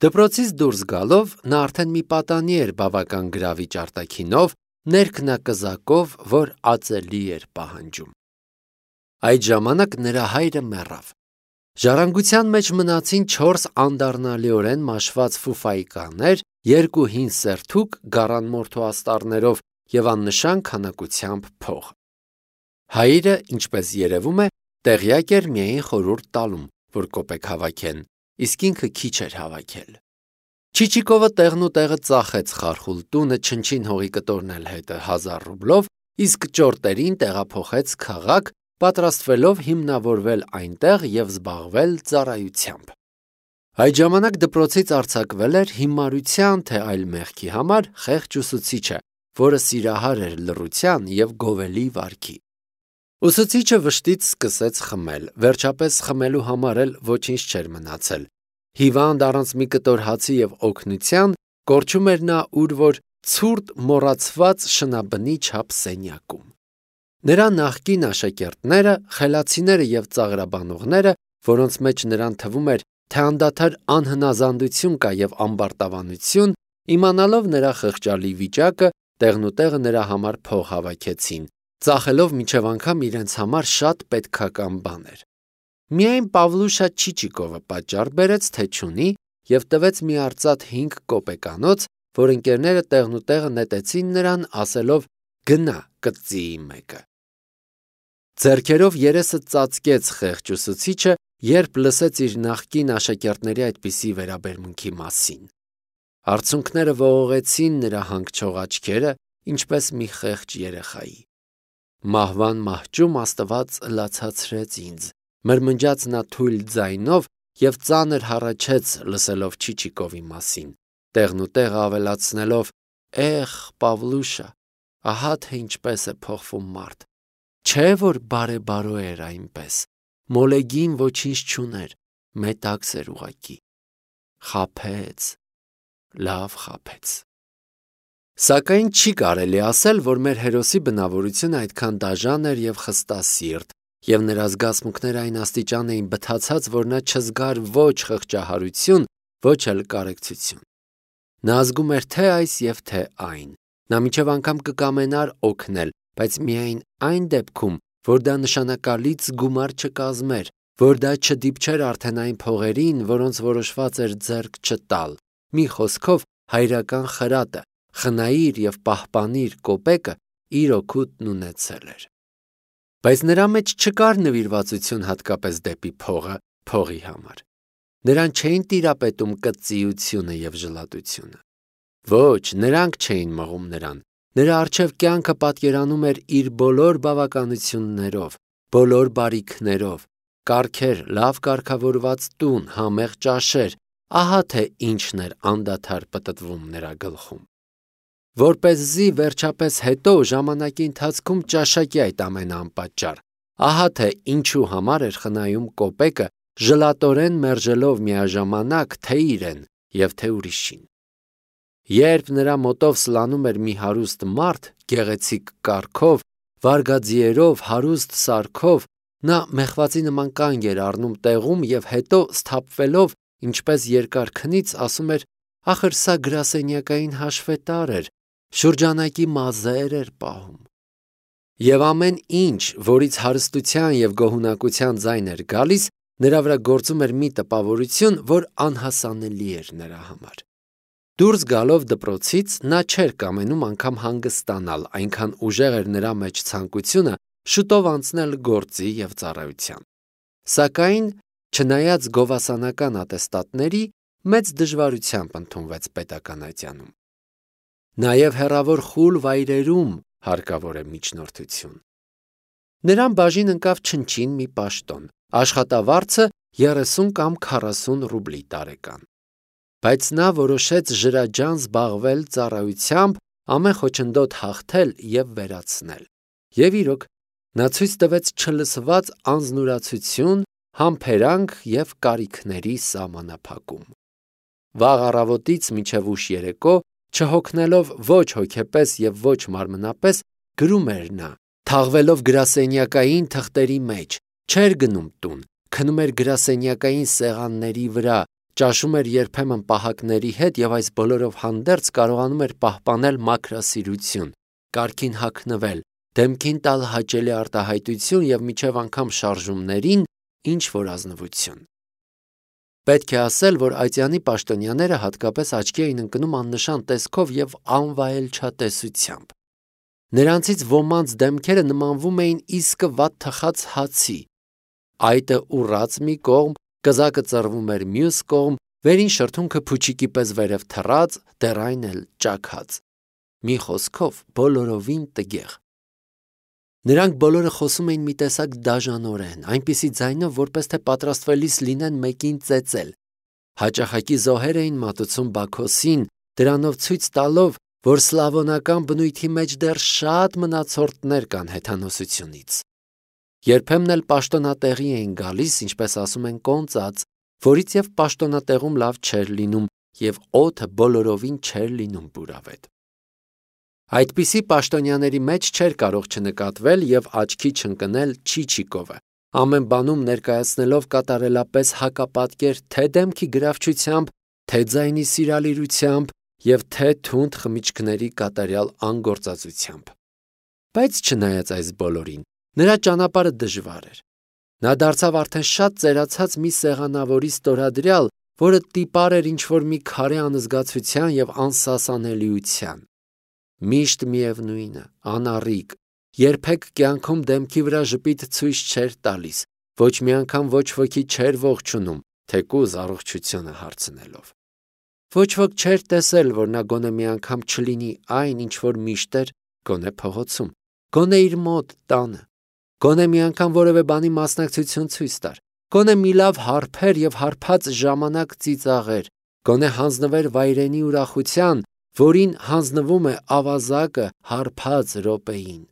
Դպրոցից դուրս գալով նա արդեն մի պատանի էր բավական գրավիչ արտաքինով, ներքնակզակով, որ ածելի էր պահանջում։ Այդ ժամանակ նրա հայրը մեռավ։ Ժառանգության մեջ մնացին 4 անդառնալիորեն մաշված ֆուֆայկաներ, 2 հին սերթուկ գառանմորթու աստառներով և աննշան քանակությամբ փող։ Հայրը, ինչպես երևում է, տեղյակ էր միայն խորհուրդ տալում, որ կոպեկ հավաքեն, իսկ ինքը քիչ էր հավաքել։ Չիչիկովը տեղն ու տեղը ծախեց խարխուլ տունը, չնչին հողի կտորն էլ հետը 1000 ռուբլով, իսկ ճորտերին տեղափոխեց քաղաք, պատրաստվելով հիմնավորվել այնտեղ և զբաղվել ծառայությամբ։ Այդ ժամանակ դպրոցից արձակվել էր հիմարության թե այլ մեղքի համար խեղճ ուսուցիչը, որը սիրահար էր լռության և գովելի վարքի։ Ուսուցիչը վշտից սկսեց խմել, վերջապես խմելու համար էլ ոչինչ չէր մնացել։ Հիվանդ առանց մի կտոր հացի և օգնության կորչում էր նա ուր որ ցուրտ մոռացված շնաբնի չափ սենյակում։ Նրա նախկին աշակերտները, խելացիները և ծաղրաբանողները, որոնց մեջ նրան թվում էր, թե անդադար անհնազանդություն կա և ամբարտավանություն, իմանալով նրա խղճալի վիճակը, տեղնուտեղը նրա համար փող հավաքեցին, ծախելով մինչև անգամ իրենց համար շատ պետքական բաներ։ Միայն Պավլուշա Չիչիկովը պատճառ բերեց, թե չունի, և տվեց մի արծաթ 5 կոպեկանոց, որ ընկերները տեղնուտեղը նետեցին նրան, ասելով «Գնա, կծիի մեկը»։ Ձեռքերով երեսը ծածկեց խեղճ ուսուցիչը, երբ լսեց իր նախկին աշակերտների այդպիսի վերաբերմունքի մասին։ Արցունքները ողողեցին նրա հանգչող աչքերը, ինչպես մի խեղճ երեխայի։ Մահվան մահճում Աստված լացացրեց ինձ, մրմնջաց նա թույլ ձայնով և ծանր հառաչեց լսելով Չիչիկովի մասին, տեղնուտեղ ավելացնելով. «Էխ, Պավլուշա, ահա թե ինչպես է փոխվում մարդ։ Չէ որ բարեբարո էր այնպես, մոլեգին ոչինչ չուներ, մետաքս էր ուղղակի։ Խաբեց, լավ խաբեց»։ Սակայն չի կարելի ասել, որ մեր հերոսի բնավորությունը այդքան դաժան էր և խստասիրտ, և նրա զգացմունքները այն աստիճան էին բթացած, որ նա չզգար ոչ խղճահարություն, ոչ էլ կարեկցություն։ Նա զգում էր թե այս և թե այն։ Նա մինչև անգամ կկամենար օգնել, բայց միայն այն դեպքում, որ դա նշանակալից գումար չկազմեր, որ դա չդիպչեր արդեն այն փողերին, որոնց որոշված էր ձեռք չտալ։ Մի խոսքով, հայրական խրատը, խնայիր և պահպանիր կոպեկը իր օգուտն ունեցել էր։ Բայց նրա մեջ չկար նվիրվածություն հատկապես դեպի փողը, փողի համար։ Նրան չէին տիրապետում կծիությունը և ժլատությունը։ Ոչ, նրանք չէին մղում նրան։ Նրա առջև կյանքը պատկերանում էր իր բոլոր բավականություններով, բոլոր բարիքներով, կարգեր, լավ կարգավորված տուն, համեղ ճաշեր, ահա թե ինչն էր անդադար պտտվում նրա գլխում։ Որպեսզի վերջապես հետո ժամանակի ընթացքում ճաշակի այդ ամենը անպատճառ, ահա թե ինչու համար էր խնայում կոպեկը, ժլատորեն մերժելով միաժամանակ թե իրեն և թե ուրիշին։ Երբ նրա մոտով սլանում էր մի հարուստ մարդ, գեղեցիկ կառքով, վարգաձիերով, հարուստ սարքով, նա մեխվածի նման կանգ էր առնում տեղում և հետո սթափվելով, ինչպես երկար քնից, ասում էր. «Ախր սա գրասենյակային հաշվետար էր, շուրջանակի մազեր էր պահում»։ Եվ ամեն ինչ, որից հարստության և գոհունակության ձայն էր գալիս, նրա վրա գործում էր մի տպավորություն, որ անհասանելի էր նրա համար։ Դուրս գալով դպրոցից նա չէր կամենում անգամ հանգստանալ, այնքան ուժեղ էր նրա մեջ ցանկությունը շուտով անցնել գործի և ծառայության։ Սակայն, չնայած գովասանական ատեստատների, մեծ դժվարությամբ ընդունվեց պետական ատյանում։ Նաև հեռավոր խուլ վայրերում հարկավոր է միջնորդություն։ Նրան բաժին ընկավ չնչին մի պաշտոն, աշխատավարձը 30 կամ 40 ռուբլի տարեկան։ Բայց նա որոշեց ջրաջան զբաղվել ծառայությամբ, ամեն խոչընդոտ հաղթել և վերացնել։ Եվ իրոք, նա ցույց տվեց չլսված անձնուրացություն, համբերանք և կարիքների սահմանափակում։ Վաղ առավոտից մինչև ուշ երեկո, չհոգնելով ոչ հոգեպես և ոչ մարմնապես, գրում էր նա, թաղվելով գրասենյակային թղթերի մեջ, չէր գնում տուն, քնում էր գրասենյակային սեղանների վրա, ճաշում էր երբեմն պահակների հետ և այս բոլորով հանդերձ կարողանում էր պահպանել մաքրասիրություն, կարգին հագնվել, դեմքին տալ հաճելի արտահայտություն և մինչև անգամ շարժումներին ինչ-որ ազնվություն։ Պետք է ասել, որ այծյանի պաշտոնյաները հատկապես աչքի էին ընկնում աննշան տեսքով և անվայելչատեսությամբ։ Նրանցից ոմանց դեմքերը նմանվում էին իսկը վատ թխած հացի։ Այտը ուռած մի կողմ, կզակը ծռվում էր մյուս կողմ, վերին շրթունքը փուչիկի պես վերև թռած, դեռ այն էլ ճաքած։ Մի խոսքով բոլորովին տգեղ։ Նրանք բոլորը խոսում էին մի տեսակ դաժանորեն, այնպիսի ձայնով, որպես թե պատրաստվելիս լինեն մեկին ծեծել։ Հաճախակի զոհեր էին մատուցում Բաքոսին, դրանով ցույց տալով, որ սլավոնական բնույթի մեջ դեռ շատ մնացորդներ կան հեթանոսությունից։ Երբեմն էլ պաշտոնատեղի էին գալիս, ինչպես ասում են, կոնծած, որից և պաշտոնատեղում լավ չէր լինում, և օդը բոլորովին չէր լինում բուրավետ։ Այդպիսի պաշտոնյաների մեջ չէր կարող չնկատվել և աչքի չընկնել Չիչիկովը, ամեն բանում ներկայացնելով կատարելապես հակապատկեր թե դեմքի գրավչությամբ, թե ձայնի սիրալիրությամբ և թե թունդ խմիչքների կատարյալ անգործածությամբ։ Բայց չնայած այս բոլորին, նրա ճանապարհը դժվար էր։ Նա դարձավ արդեն շատ ծերացած մի սեղանավորի ստորադրյալ, որը տիպար էր ինչ-որ մի քարե անզգացության և անսասանելիության։ Միշտ միևնույնը, անառիկ, երբեք կյանքում դեմքի վրա ժպիտ ցույց չէր տալիս, ոչ մի անգամ ոչ ոքի չէր ողջունում, թեկուզ առողջությունը հարցնելով։ Ոչ ոք չէր տեսել, որ նա գոնե մի անգամ չլինի այն, ինչ որ միշտ էր, գոնե փողոցում, գոնե իր մոտ տանը, գոնե մի անգամ որևէ բանի մասնակցություն ցույց տար, գոնե մի լավ հարբեր և հարբած ժամանակ ծիծաղեր, գոնե հանձնվեր վայրենի ուրախության, որին հանձնվում է ավազակը հարբած րոպեին։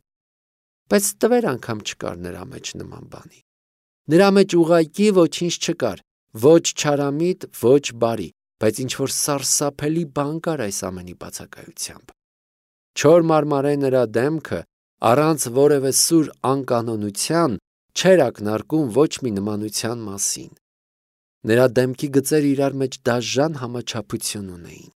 Բայց տվեր անգամ չկար նրա մեջ նման բանի։ Նրա մեջ ուղղակի ոչինչ չկար, ոչ չարամիտ, ոչ բարի, բայց ինչ-որ սարսափելի բան կար այս ամենի բացակայությամբ։ Չոր մարմարե նրա դեմքը, առանց որևէ սուր անկանոնության, չէր ակնարկում ոչ մի նմանության մասին։ Նրա դեմքի գծերը իրար մեջ դաժան համաչափություն ունեին։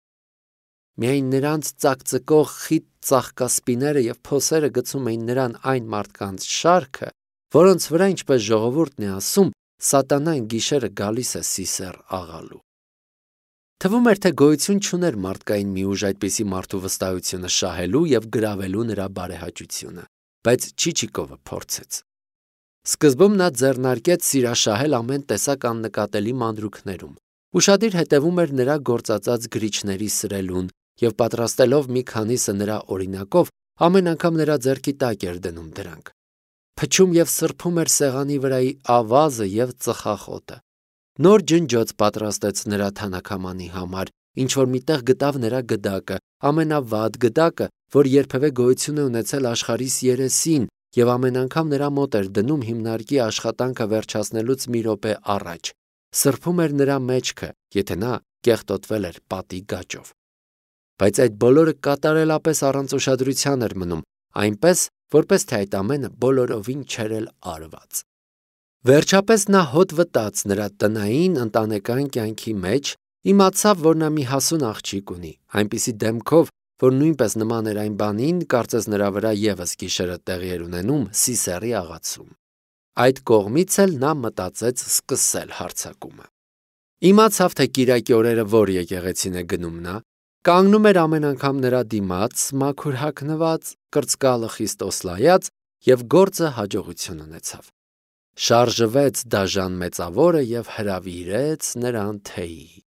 Միայն նրանց ծակծկող խիտ ծաղկասպիները և փոսերը գցում էին նրան այն մարդկանց շարքը, որոնց վրա, ինչպես ժողովուրդն է ասում, սատանան գիշերը գալիս է սիսեռ աղալու։ Թվում էր, թե գոյություն չուներ մարդկային մի ուժ այդպիսի մարդու վստահությունը շահելու և գրավելու նրա բարեհաճությունը, բայց Չիչիկովը փորձեց։ Սկզբում նա ձեռնարկեց սիրաշահել ամեն տեսակ աննկատելի մանրուքներում, ուշադիր հետևում էր նրա գործածած գրիչների սրելուն և պատրաստելով մի քանիսը նրա օրինակով, ամեն անգամ նրա ձեռքի տակ էր դնում դրանք։ Փչում և սրբում էր սեղանի վրայի ավազը և ծխախոտը։ Նոր ջնջոց պատրաստեց նրա թանաքամանի համար, ինչ-որ միտեղ գտավ նրա գդակը, ամենավատ գդակը, որ երբևէ գոյություն է ունեցել աշխարհիս երեսին, և ամեն անգամ նրա մոտ էր դնում հիմնարկի աշխատանքը վերջացնելուց մի րոպե առաջ։ Սրբում էր նրա մեջքը, եթե նա կեղտոտվել էր պատի գաճով։ Բայց այդ բոլորը կատարելապես առանց ուշադրության էր մնում, այնպես, որպես թե այդ ամենը բոլորովին չէր էլ արված։ Վերջապես նա հոտ վտաց նրա տնային ընտանեկան կյանքի մեջ, իմացավ, որ նա մի հասուն աղջիկ ունի, այնպիսի դեմքով, որ նույնպես նման էր այն բանին, կարծես նրա վրա ևս գիշերը տեղի էր ունենում Սիսեռի աղացում։ Այդ կողմից էլ նա մտածեց սկսել հարձակումը։ Իմացավ, թե կիրակի օրերը որ եկեղեցին է գնում նա, կանգնում էր ամեն անգամ նրա դիմաց, մաքուր հագնված, կրծկալը խիստ օսլայած, և գործը հաջողություն ունեցավ։ Շարժվեց դաժան մեծավորը և հրավիրեց նրան թեյի։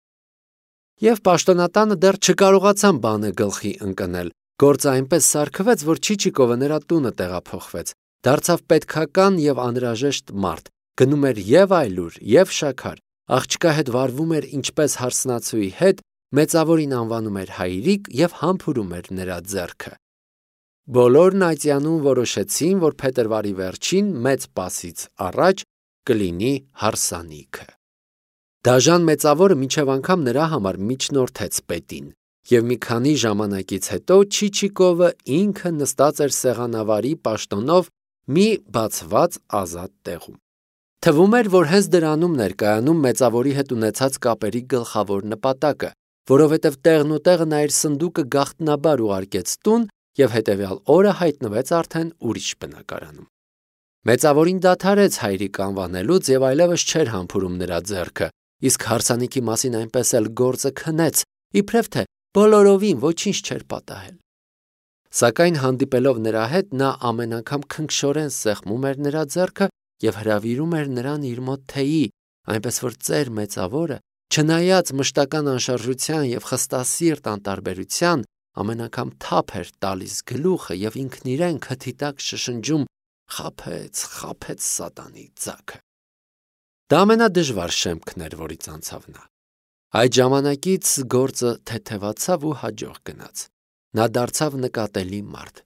Եվ պաշտոնատանը դեռ չկարողացան բանը գլխի ընկնել, գործը այնպես սարքվեց, որ Չիչիկովը նրա տունը տեղափոխվեց, դարձավ պետքական և անհրաժեշտ մարդ, գնում էր և այլուր, և շաքար, աղջկա հետ վարվում էր ինչպես հարսնացուի հետ, մեծավորին անվանում էր հայրիկ և համբուրում էր նրա ձեռքը։ Բոլորն այծյանում որոշեցին, որ փետրվարի վերջին մեծ պասից առաջ կլինի հարսանիքը։ Դաժան մեծավորը մինչև անգամ նրա համար միջնորդեց պետին, և մի քանի ժամանակից հետո Չիչիկովը ինքը նստած էր սեղանավարի պաշտոնով մի բացված ազատ տեղում։ Թվում էր, որ հենց դրանում ներկայանում մեծավորի հետ ունեցած կապերի գլխավոր նպատակը, որովհետև տեղն ու տեղը նա իր սնդուկը գաղտնաբար ուղարկեց տուն և հետևյալ օրը հայտնվեց արդեն ուրիշ բնակարանում։ Մեծավորին դադարեց հայրիկ անվանելուց և այլևս չէր համբուրում նրա ձեռքը, իսկ հարսանիքի մասին այնպես էլ գործը քնեց, իբրև թե բոլորովին ոչինչ չէր պատահել։ Սակայն հանդիպելով նրա հետ նա ամեն անգամ քնքշորեն սեղմում էր նրա ձեռքը և հրավիրում էր նրան իր մոտ թեյի, այնպես որ ծեր մեծավորը, չնայած մշտական անշարժության և խստասիրտ անտարբերության, ամեն անգամ թափ էր տալիս գլուխը և ինքն իրեն քթի տակ շշնջում. «Խաբեց, խաբեց սատանի ձագը»։ Դա ամենադժվար շեմքն էր, որից անցավ նա։ Այդ ժամանակից գործը թեթևացավ ու հաջող գնաց։ Նա դարձավ նկատելի մարդ։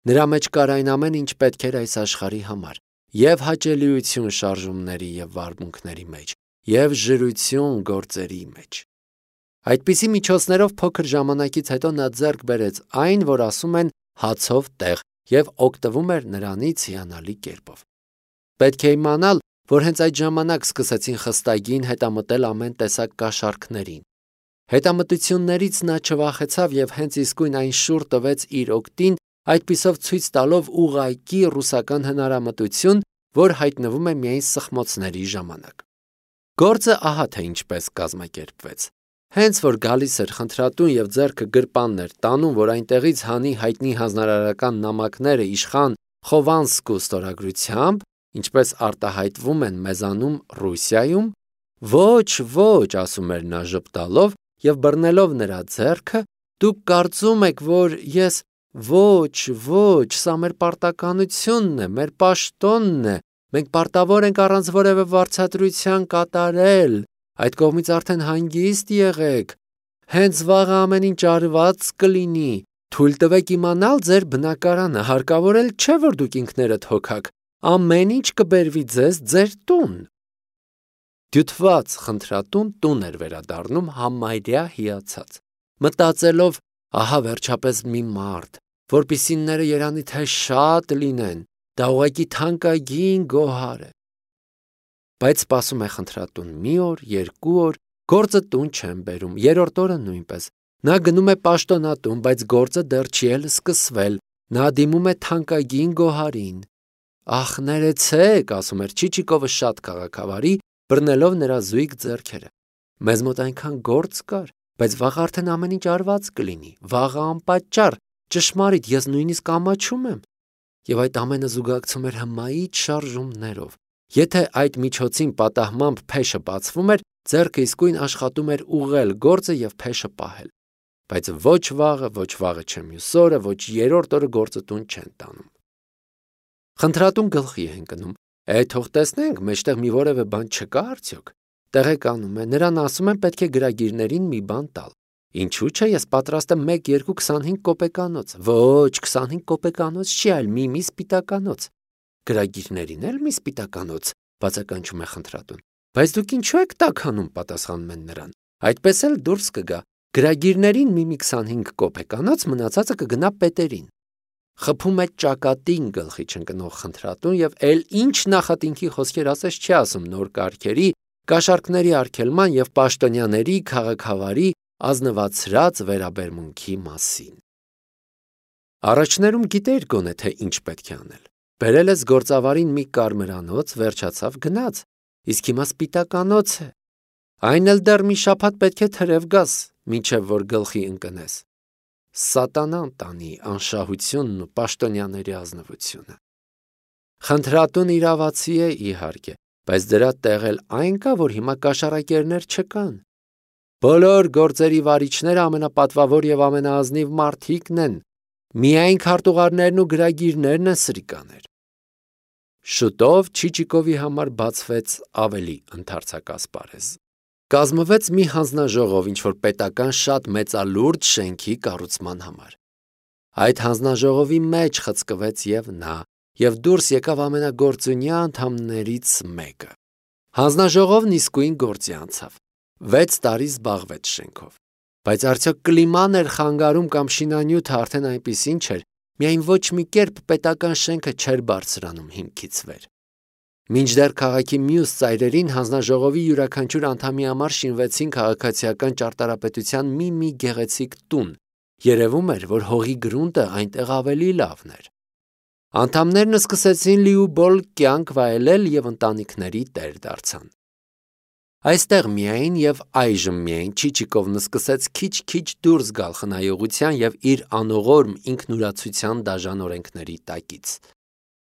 Նրա մեջ կար այն ամեն ինչ պետք էր այս աշխարհի համար, և հաճելիություն շարժումների և վարմունքների մեջ, և ժրություն գործերի մեջ։ Այդպիսի միջոցներով փոքր ժամանակից հետո նա ձեռք բերեց այն, որ ասում են հացով տեղ, և օգտվում էր նրանից հիանալի կերպով։ Պետք է իմանալ, որ հենց այդ ժամանակ սկսեցին խստագին հետամտել ամեն տեսակ կաշառքներին։ Հետամտություններից նա չվախեցավ և հենց իսկույն այն շուռ տվեց իր օգտին, այդպիսով ցույց տալով ուղղակի ռուսական հնարամտություն, որ հայտնվում է միայն սխմոցների ժամանակ։ Գործը ահա թե ինչպես կազմակերպվեց։ Հենց որ գալիս էր խնդրատուն և ձեռքը գրպանն էր տանում, որ այնտեղից հանի հայտնի հանձնարարական նամակները իշխան Խովանսկու ստորագրությամբ, ինչպես արտահայտվում են մեզանում Ռուսիայում, ոչ, ասում էր նա ժպտալով և բռնելով նրա ձեռքը, դուք կարծում եք, որ ես ոչ, սա մեր պարտականությունն է, մեր պաշտոնն է, մենք պարտավոր ենք առանց որևէ վարձատրության կատարել, այդ կողմից արդեն հանգիստ եղեք, հենց վաղը ամեն ինչ արված կլինի, թույլ տվեք իմանալ ձեր բնակարանը, հարկավոր էլ չէ, որ դուք ինքներդ հոգաք, ամեն ինչ կբերվի ձեզ ձեր տուն։ Դյութված խնդրատուն տուն էր վերադառնում համարյա հիացած, մտածելով, ահա վերջապես մի մարդ, որպիսինները երանի թե շատ լինեն, դա ուղղակի թանկագին գոհար է։ Բայց սպասում է խնդրատուն մի օր, երկու օր, գործը տուն չեն բերում, երրորդ օրը նույնպես։ Նա գնում է պաշտոնատուն, բայց գործը դեռ չի էլ սկսվել, նա դիմում է թանկագին գոհարին։ Ախ, ներեցեք, ասում էր Չիչիկովը շատ քաղաքավարի, բռնելով նրա զույգ ձեռքերը։ Մեզ մոտ այնքան գործ կար, բայց վաղ արդեն ամեն ինչ արված կլինի, վաղը անպատճառ, ճշմարիտ, ես նույնիսկ ամաչում եմ։ Եվ այդ ամենը զուգակցում էր հմայիչ շարժումներով։ Եթե այդ միջոցին պատահմամբ փեշը բացվում էր, ձեռքը իսկույն աշխատում էր ուղղել գործը և փեշը պահել։ Բայց ոչ վաղը չէ մյուս օրը, ոչ երրորդ օրը գործը տուն չեն տանում։ Խնդրատուն գլխի է ընկնում. թող տեսնենք, մեջտեղ մի որևէ բան չկա արդյոք։ Տեղեկանում է, նրան ասում են պետք է գրագիրներին մի բան տալ։ Ինչու՞ չէ, ես պատրաստ եմ 1-2-25 կոպեկանոց։ Ոչ, 25 կոպեկանոց չի, այլ մի սպիտականոց։ Գրագիրներին էլ մի սպիտականոց, բացականչում է խնդրատուն։ Բայց դուք ինչու եք տաքանում, պատասխանում են նրան։ Այդպես էլ դուրս կգա։ Գրագիրներին մի 25 կոպեկանոց, մնացածը կգնա պետերին։ Խփում է ճակատին գլխի չընկնող խնդրատուն և էլ ինչ նախատինքի խոսքեր ասես չի ասում նոր կարգերի, կաշառքների արգելման և պաշտոնյաների քաղաքավարի ազնվացրած վերաբերմունքի մասին։ Առաջներում գիտեիր գոնե թե ինչ պետք է անել։ Բերել ես գործավարին մի կարմրանոց, վերջացավ գնաց, իսկ հիմա սպիտականոց է։ Այն էլ դեռ մի շաբաթ պետք է թրև գաս, մինչև որ գլխի ընկնես։ Սատանան տանի անշահությունն ու պաշտոնյաների ազնվությունը։ Խնդրատուն իրավացի է, իհարկե, բայց դրա տեղ էլ այն կա, որ հիմա կաշառակերներ չկան։ Բոլոր գործերի վարիչները ամենապատվավոր և ամենաազնիվ մարդիկն են, միայն քարտուղարներն ու գրագիրներն են սրիկաներ։ Շուտով Չիչիկովի համար բացվեց ավելի ընդարձակ ասպարեզ։ Կազմվեց մի հանձնաժողով ինչ-որ պետական շատ մեծալուրջ շենքի կառուցման համար։ Այդ հանձնաժողովի մեջ խցկվեց և նա, և դուրս եկավ ամենագործունյա անդամներից մեկը։ Հանձնաժողովն իսկույն գործի անցավ։ 6 տարի զբաղվեց շենքով։ Բայց արդյոք կլիման էր խանգարում կամ շինանյութը արդեն այնպիսին չէր, միայն ոչ մի կերպ պետական շենքը չէր բարձրանում հիմքից վեր։ Մինչդեռ քաղաքի մյուս ծայրերին հանձնաժողովի յուրաքանչյուր անդամի համար շինվեցին քաղաքացիական ճարտարապետության մի գեղեցիկ տուն, երևում էր, որ հողի գրունտը այնտեղ ավելի լավն էր։ Անդամներն սկսեցին լիուբոլ կյանք վայելել և ընտանիքների տեր դարձան։ Այստեղ միայն և այժմ միայն Չիչիկովն սկսեց քիչ-քիչ դուրս գալ խնայողության և իր անողորմ ինքնուրացության դաժան օրենքների տակից։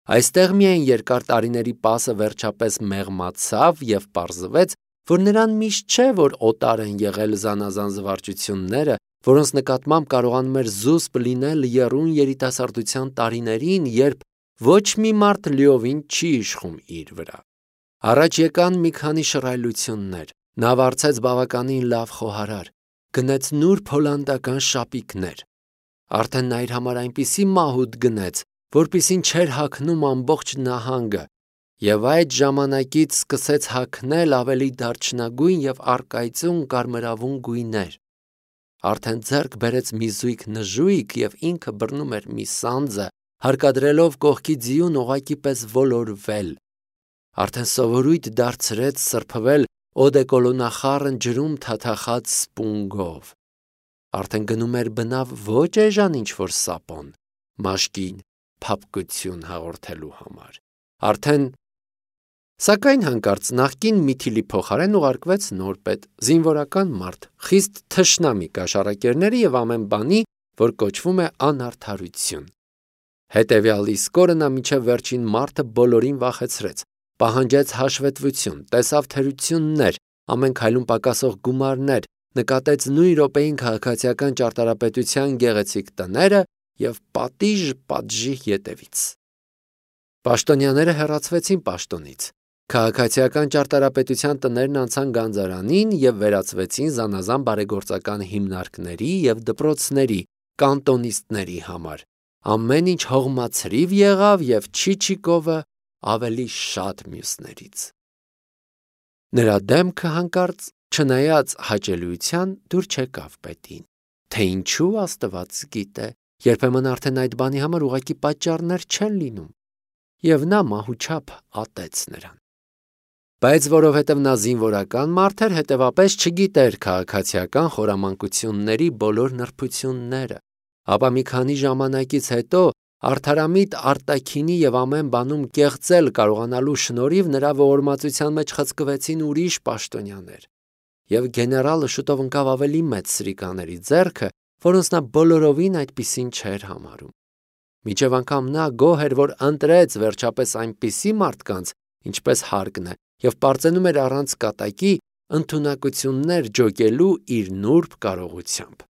Այստեղ միայն երկար տարիների պասը վերջապես մեղմացավ և պարզվեց, որ նրան միշտ չէ, որ օտար են եղել զանազան զվարճությունները, որոնց նկատմամբ կարողանում էր զուսպ լինել եռուն երիտասարդության տարիներին, երբ ոչ մի մարդ լիովին չի իշխում իր վրա։ Առաջ եկան մի քանի շռայլություններ, նա վարձեց բավականին լավ խոհարար, գնեց նուրբ հոլանդական շապիկներ։ Արդեն նա իր համար այնպիսի մահուդ գնեց, որպիսին չէր հագնում ամբողջ նահանգը, և այդ ժամանակից սկսեց հագնել ավելի դարչնագույն և առկայծուն կարմրավուն գույներ։ Արդեն ձեռք բերեց մի զույգ նժույգ և ինքը բռնում էր մի սանձը, հարկադրելով կողքի ձիուն ուղղակի պես ոլորվել։ Արդեն սովորույթ դարձրեց սրբվել օդեկոլոնախառն ջրում թաթախած սպունգով։ Արդեն գնում էր բնավ ոչ էժան ինչ-որ սապոն, մաշկին փափկություն հաղորդելու համար։ Սակայն հանկարծ նախկին միթիլի փոխարեն ուղարկվեց նոր պետ, զինվորական մարդ, խիստ թշնամի կաշառակերների և ամեն բանի, որ կոչվում է անարդարություն։ Հետևյալ իսկ օրը նա մինչև վերջին մարդը բոլորին վախեցրեց, պահանջեց հաշվետվություն, տեսավ թերություններ, ամեն քայլում պակասող գումարներ, նկատեց նույն րոպեին քաղաքացիական ճարտարապետության գեղեցիկ տները և պատժի ետևից։ Պաշտոնյաները հեռացվեցին պաշտոնից։ Քաղաքացիական ճարտարապետության տներն անցան գանձարանին և վերածվեցին զանազան բարեգործական հիմնարկների և դպրոցների, կանտոնիստների համար։ Ամեն ինչ հողմացրիվ եղավ և Չիչիկովը ավելի շատ մյուսներից։ Նրա դեմքը հանկարծ, չնայած հաճելիության, դուր չեկավ պետին, թե ինչու Աստված գիտե, երբեմն արդեն այդ բանի համար ուղղակի պատճառներ չեն լինում, և նա մահուչափ ատեց նրան։ Բայց որովհետև նա զինվորական մարդ էր, հետևապես չգիտեր քաղաքացիական խորամանկությունների բոլոր նրբությունները, ապա մի քանի ժամանակից հետո արդարամիտ արտաքինի և ամեն բանում կեղծել կարողանալու շնորհիվ նրա ողորմածության մեջ խցկվեցին ուրիշ պաշտոնյաներ, և գեներալը շուտով ընկավ ավելի մեծ սրիկաների ձեռքը, որոնց նա բոլորովին այդպիսին չէր համարում։ Մինչև անգամ նա գոհ էր, որ ընտրեց վերջապես այնպիսի մարդկանց, ինչպես հարկն է, և պարծենում էր առանց կատակի ընդունակություններ ջոկելու իր նուրբ կարողությամբ։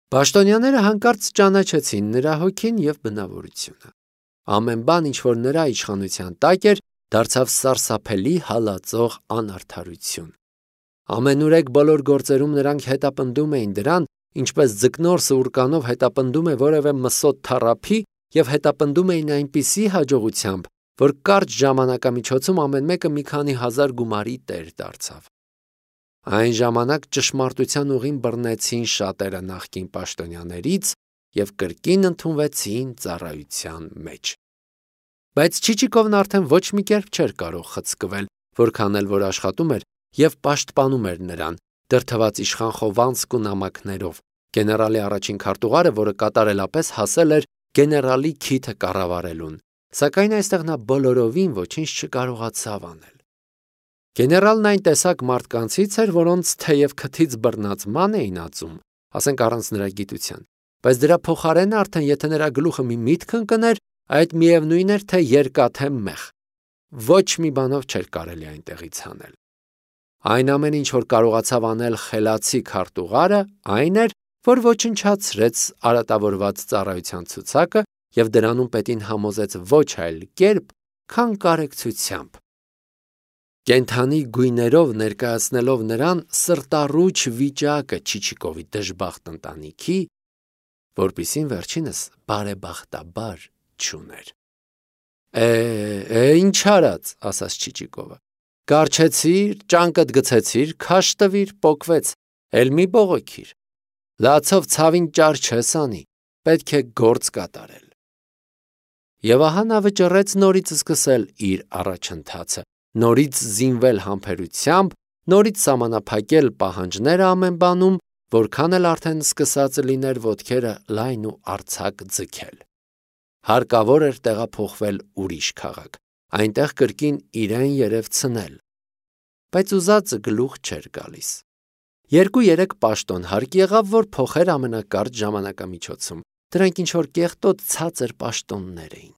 Պաշտոնյաները հանկարծ ճանաչեցին նրա հոգին և բնավորությունը։ Ամեն բան, ինչ որ նրա իշխանության տակ էր, դարձավ սարսափելի հալածող անարդարություն։ Ամենուրեք բոլոր գործերում նրանք հետապնդում էին դրան, ինչպես ձկնորսը ուռկանով հետապնդում է որևէ մսոտ թառափի, և հետապնդում էին այնպիսի հաջողությամբ, որ կարճ ժամանակամիջոցում ամեն մեկը մի քանի հազար գումարի տեր դարձավ։ Այն ժամանակ ճշմարտության ուղին բռնեցին շատերը նախկին պաշտոնյաներից և կրկին ընդունվեցին ծառայության մեջ։ Բայց Չիչիկովն արդեն ոչ մի կերպ չէր կարող խցկվել, որքան էլ որ աշխատում էր և պաշտպանում էր նրան, դրդված իշխան Խովանսկ ու նամակներով, գեներալի առաջին քարտուղարը, որը կատարելապես հասել էր գեներալի քիթը կառավարելուն, սակայն այստեղ նա բոլորովին ոչինչ չկարողացավ անել։ Գեներալն այն տեսակ մարդկանցից էր, որոնց թեև քթից բռնած ման էին ածում, ասենք առանց նրա գիտության, բայց դրա փոխարեն արդեն եթե նրա գլուխը մի միտք ընկներ, այդ միևնույն էր, թե երկաթ թե մեղ, ոչ մի բանով չէր կարելի այնտեղից հանել։ Այն ամեն ինչ, որ կարողացավ անել խելացի քարտուղարը, այն էր, որ ոչնչացրեց արատավորված ծառայության ցուցակը և դրանում պետին համոզեց ոչ այլ կերպ, քան կարեկցությամբ։ Կենդանի գույներով ներկայացնելով նրան սրտառուչ վիճակը Չիչիկովի դժբախտ ընտանիքի, որպիսին վերջինս բարեբախտաբար չուներ։ Ինչ արած, ասաց Չիչիկովը, կառչեցիր, ճանկդ գցեցիր, քաշ տվիր, պոկվեց, էլ մի բողոքիր, լացով ցավին ճար չես անի, պետք է գործ կատարել։ Եվ ահա նա վճռեց նորից սկսել իր առաջընթացը, նորից զինվել համբերությամբ, նորից սահմանափակել պահանջները ամեն բանում, որքան էլ արդեն սկսած լիներ ոտքերը լայն ու արձակ ձգել։ Հարկավոր էր տեղափոխվել ուրիշ քաղաք, այնտեղ կրկին իրեն երևցնել, բայց ուզածը գլուխ չէր գալիս։ 2-3 պաշտոն հարկ եղավ, որ փոխեր ամենակարճ ժամանակամիջոցում, դրանք ինչ-որ կեղտոտ ցածր պաշտոններ էին։